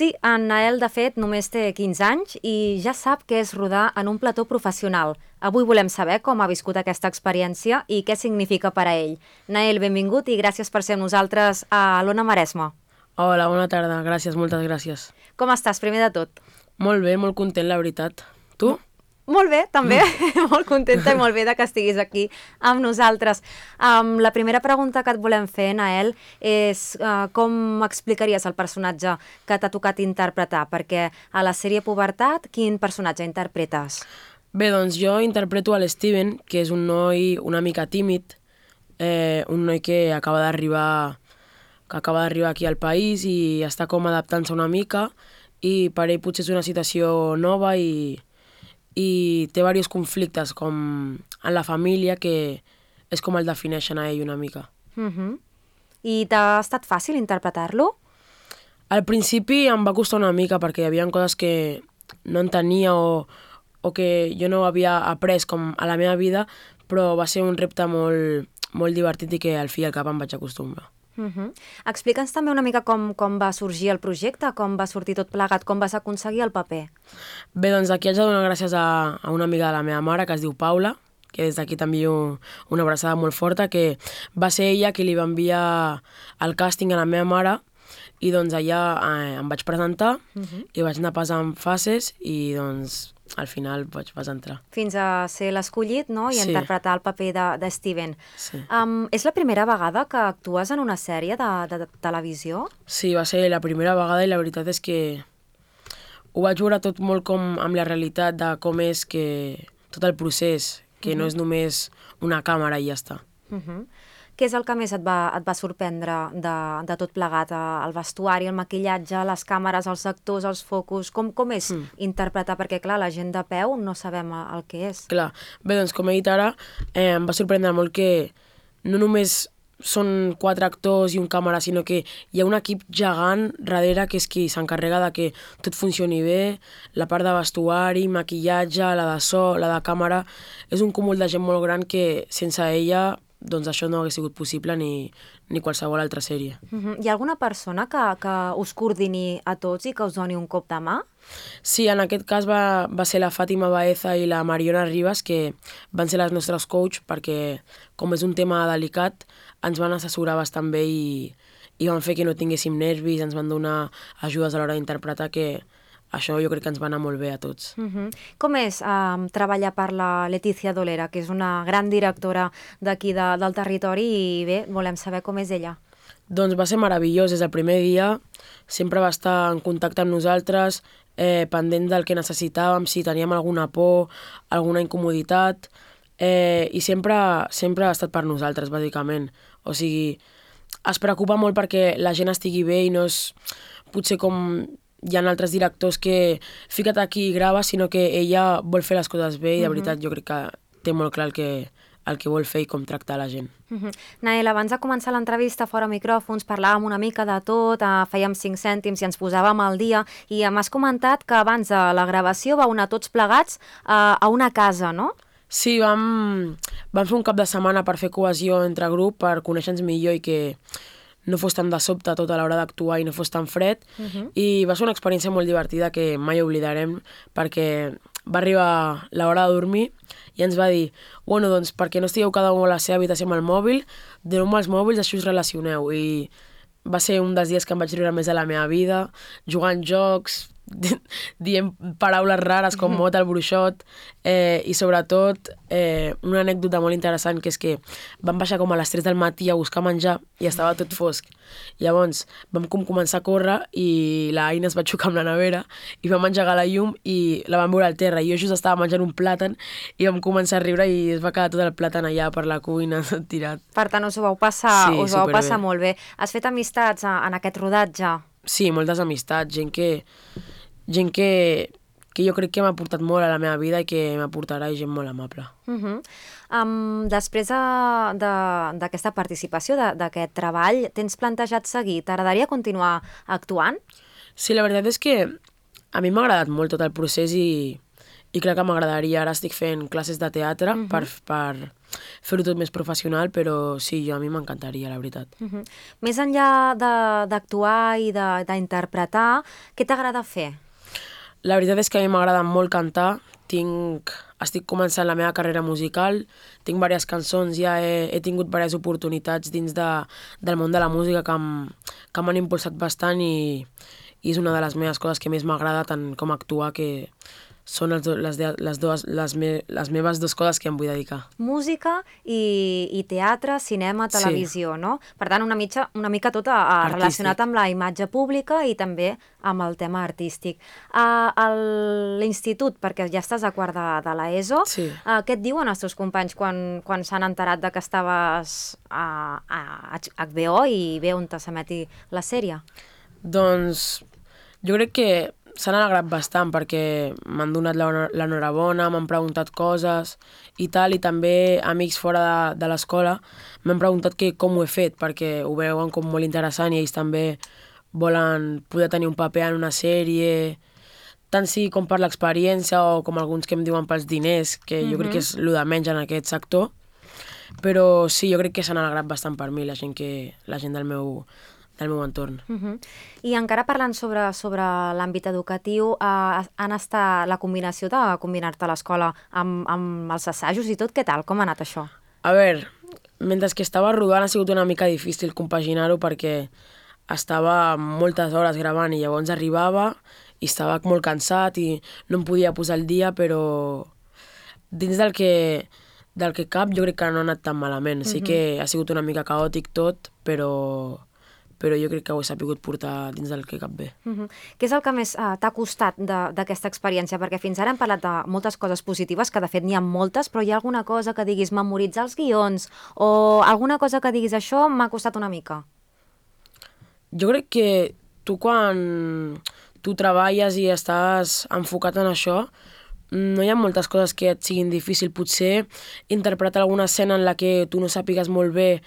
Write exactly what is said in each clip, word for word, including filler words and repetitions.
Sí, en Nael, de fet, només té quinze anys i ja sap què és rodar en un plató professional. Avui volem saber com ha viscut aquesta experiència i què significa per a ell. Nael, benvingut i gràcies per ser amb nosaltres a l'Ona Maresme. Hola, bona tarda. Gràcies, moltes gràcies. Com estàs, primer de tot? Molt bé, molt content, la veritat. Tu? Molt bé, també. Molt contenta i molt bé de que estiguis aquí amb nosaltres. Um, la primera pregunta que et volem fer, Nael, és uh, com explicaries el personatge que t'ha tocat interpretar? Perquè a la sèrie Pubertat, quin personatge interpretes? Bé, doncs jo interpreto a l'Steven, que és un noi una mica tímid, eh, un noi que acaba d'arribar que acaba d'arribar aquí al país i està com adaptant-se una mica i per ell potser és una situació nova i i té diversos conflictes com en la família que és com el defineixen a ell una mica. Uh-huh. I t'ha estat fàcil interpretar-lo? Al principi em va costar una mica perquè hi havia coses que no entenia o, o que jo no havia après com a la meva vida, però va ser un repte molt, molt divertit i que al fi i al cap em vaig acostumbrar. Uh-huh. Explica'ns també una mica com, com va sorgir el projecte, com va sortir tot plegat, com vas aconseguir el paper. Bé, doncs aquí haig de donar gràcies a, a una amiga de la meva mare que es diu Paula, que des d'aquí t'envio una abraçada molt forta, que va ser ella qui li va enviar el càsting a la meva mare i doncs allà eh, em vaig presentar uh-huh. i vaig anar passant fases i doncs al final vaig pas entrar. Fins a ser l'escollit, no? I sí. interpretar el paper de, de Steven. Sí. Um, és la primera vegada que actues en una sèrie de, de, de televisió? Sí, va ser la primera vegada i la veritat és que ho vaig veure tot molt com amb la realitat de com és que tot el procés, que uh-huh. no és només una càmera i ja està. Uh-huh. Què és el que més et va, et va sorprendre de, de tot plegat? El vestuari, el maquillatge, les càmeres, els actors, els focus... Com, com és mm. interpretar? Perquè, clar, la gent de peu no sabem el que és. Clar. Bé, doncs, com he dit ara, eh, em va sorprendre molt que no només són quatre actors i un càmera, sinó que hi ha un equip gegant darrere que és qui s'encarrega de que tot funcioni bé, la part de vestuari, maquillatge, la de so, la de càmera... És un cúmul de gent molt gran que sense ella doncs això no hagués sigut possible ni, ni qualsevol altra sèrie. Uh-huh. Hi ha alguna persona que, que us coordini a tots i que us doni un cop de mà? Sí, en aquest cas va, va ser la Fàtima Baeza i la Mariona Ribas, que van ser les nostres coach, perquè com és un tema delicat, ens van assessorar bastant bé i, i van fer que no tinguéssim nervis, ens van donar ajudes a l'hora d'interpretar, que això jo crec que ens va anar molt bé a tots. Uh-huh. Com és um, treballar per la Letícia Dolera, que és una gran directora d'aquí de, del territori i bé, volem saber com és ella? Doncs va ser meravellós. Des del primer dia sempre va estar en contacte amb nosaltres, eh, pendent del que necessitàvem, si teníem alguna por, alguna incomoditat, eh, i sempre, sempre ha estat per nosaltres, bàsicament. O sigui, es preocupa molt perquè la gent estigui bé i no és potser com... Hi ha altres directors que fica't aquí i grava, sinó que ella vol fer les coses bé i de veritat jo crec que té molt clar el que, el que vol fer i com tractar la gent. Uh-huh. Nael, abans de començar l'entrevista fora micròfons parlàvem una mica de tot, uh, fèiem cinc cèntims i ens posàvem al dia i m'has comentat que abans de la gravació vau anar tots plegats uh, a una casa, no? Sí, vam, vam fer un cap de setmana per fer cohesió entre grup, per conèixer-nos millor i que no fos tan de sobte tot a l'hora d'actuar i no fos tan fred. Uh-huh. I va ser una experiència molt divertida que mai oblidarem perquè va arribar l'hora de dormir i ens va dir, bueno, doncs perquè no estigueu cada un a la seva habitació amb el mòbil, doneu-me els mòbils, així us relacioneu. I va ser un dels dies que em vaig riure més de la meva vida, jugant jocs, dient paraules rares com mot al bruixot, eh, i sobretot eh, una anècdota molt interessant que és que vam baixar com a les tres del matí a buscar menjar i estava tot fosc. Llavors vam com començar a córrer i la Aina es va xocar amb la nevera i vam engegar la llum i la vam veure al terra i jo just estava menjant un plàtan i vam començar a riure i es va quedar tot el plàtan allà per la cuina tot tirat. Per tant, us ho vau passar, sí, us ho vau passar molt bé. Has fet amistats en aquest rodatge? Sí, moltes amistats, gent que gent que, que jo crec que m'ha portat molt a la meva vida i que m'aportarà, i gent molt amable. Uh-huh. um, després d'aquesta participació, d'aquest treball, tens plantejat seguir? T'agradaria continuar actuant? Sí, la veritat és que a mi m'ha agradat molt tot el procés i, i crec que m'agradaria. Ara estic fent classes de teatre Mhm. per, per fer-ho tot més professional, però sí, jo a mi m'encantaria, la veritat. Mhm. Més enllà de- d'actuar i de- d'interpretar, què t'agrada fer? La veritat és que a mi m'agrada molt cantar. Tinc... Estic començant la meva carrera musical, tinc diverses cançons, ja he, he tingut diverses oportunitats dins de, del món de la música que m- que m'han impulsat bastant i, i és una de les meves coses que més m'agrada, tant com actuar, que són els, do- les, de- les, dues, les, me, les meves dues coses que em vull dedicar. Música i, i teatre, cinema, Sí. televisió, no? Per tant, una, mitja, una mica tot a, a Artístic. relacionat amb la imatge pública i també amb el tema artístic. A, a l'institut, perquè ja estàs a quart de, de l'ESO, Sí. uh, què et diuen els teus companys quan, quan s'han enterat de que estaves a, a H B O i bé on s'emeti la sèrie? Doncs jo crec que s'han alegrat bastant perquè m'han donat l'honor- l'enhorabona, m'han preguntat coses i tal, i també amics fora de, de l'escola m'han preguntat que com ho he fet, perquè ho veuen com molt interessant i ells també volen poder tenir un paper en una sèrie, tant sí com per l'experiència o com alguns que em diuen pels diners, que jo crec que és el de menys en aquest sector, però sí, jo crec que s'han alegrat bastant per mi, la gent, que, la gent del meu, del meu entorn. Uh -huh. I encara parlant sobre, sobre l'àmbit educatiu, eh, han estat la combinació de combinar-te a l'escola amb, amb els assajos i tot, què tal? Com ha anat això? A veure, mentre que estava rodant ha sigut una mica difícil compaginar-ho perquè estava moltes hores gravant i llavors arribava i estava molt cansat i no em podia posar al dia, però dins del que, del que cap jo crec que no ha anat tan malament. Sí que ha sigut una mica caòtic tot, però, però jo crec que ho he sabut portar dins del que cap bé. Uh -huh. Què és el que més uh, t'ha costat de- d'aquesta experiència? Perquè fins ara hem parlat de moltes coses positives, que de fet n'hi ha moltes, però hi ha alguna cosa que diguis memoritzar els guions o alguna cosa que diguis això m'ha costat una mica? Jo crec que tu quan tu treballes i estàs enfocat en això, no hi ha moltes coses que et siguin difícil. Potser interpretar alguna escena en la que tu no sàpigues molt bé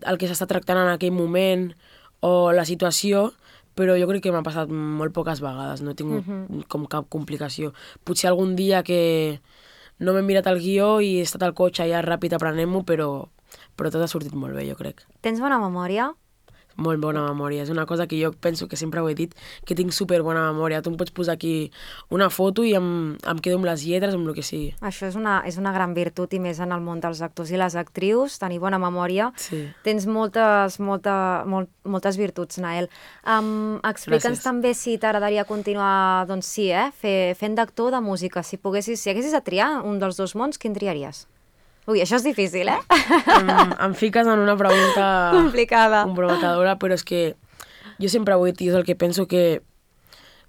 el que s'està tractant en aquell moment o la situació, però jo crec que m'ha passat molt poques vegades, no he tingut com cap complicació. Potser algun dia que no m'he mirat el guió i he estat al cotxe ja ràpid aprenent-m'ho, però, però tot ha sortit molt bé, jo crec. Tens bona memòria? Molt bona memòria, és una cosa que jo penso que sempre ho he dit, que tinc super bona memòria. Tu em pots posar aquí una foto i em, em quedo amb les lletres, amb el que sigui. Això és una, és una gran virtut i més en el món dels actors i les actrius, tenir bona memòria. Sí. Tens moltes, molta, molt, moltes virtuts, Nael. Um, Explica'ns Gràcies. també si t'agradaria continuar, doncs sí, eh, fer, fent d'actor o de música. Si poguessis, si haguessis de triar un dels dos mons, quin triaries? Ui, això és difícil, eh? Em, em fiques en una pregunta Complicada. comprometedora, però és que jo sempre ho he dit i és el que penso, que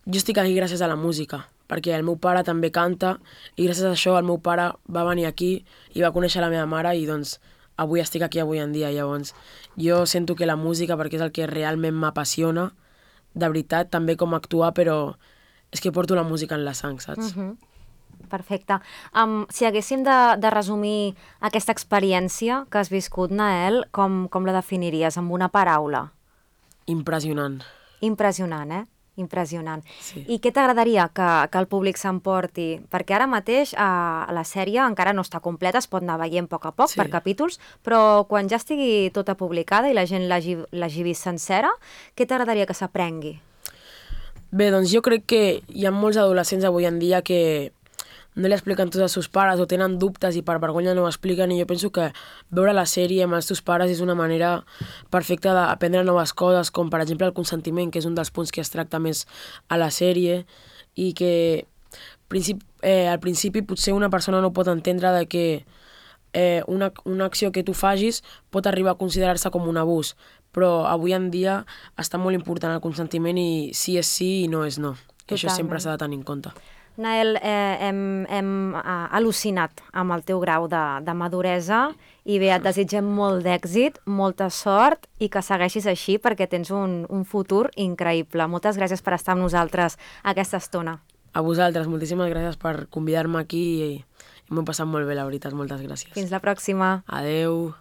jo estic aquí gràcies a la música, perquè el meu pare també canta i gràcies a això el meu pare va venir aquí i va conèixer la meva mare i doncs avui estic aquí avui en dia. Llavors jo sento que la música, perquè és el que realment m'apassiona, de veritat, també com actuar, però és que porto la música en la sang, saps? Mhm. Perfecte. Um, si haguéssim de, de resumir aquesta experiència que has viscut, Nael, com, com la definiries amb una paraula? Impressionant. Impressionant, eh? Impressionant. Sí. I què t'agradaria que, que el públic s'emporti? Perquè ara mateix eh, la sèrie encara no està completa, es pot anar veient a poc a poc Sí. per capítols, però quan ja estigui tota publicada i la gent l'hagi l'hagi vist sencera, què t'agradaria que s'aprengui? Bé, doncs jo crec que hi ha molts adolescents avui en dia que no li expliquen tot als seus pares o tenen dubtes i per vergonya no ho expliquen, i jo penso que veure la sèrie amb els teus pares és una manera perfecta d'aprendre noves coses, com per exemple el consentiment, que és un dels punts que es tracta més a la sèrie, i que principi, eh, al principi potser una persona no pot entendre de que eh, una, una acció que tu facis pot arribar a considerar-se com un abús, però avui en dia està molt important el consentiment i sí és sí i no és no. I això sempre s'ha de tenir en compte. Nael, eh, hem, hem eh, al·lucinat amb el teu grau de, de maduresa i bé, et desitgem molt d'èxit, molta sort i que segueixis així perquè tens un, un futur increïble. Moltes gràcies per estar amb nosaltres aquesta estona. A vosaltres, moltíssimes gràcies per convidar-me aquí i, i m'ho he passat molt bé, la veritat, moltes gràcies. Fins la pròxima. Adeu.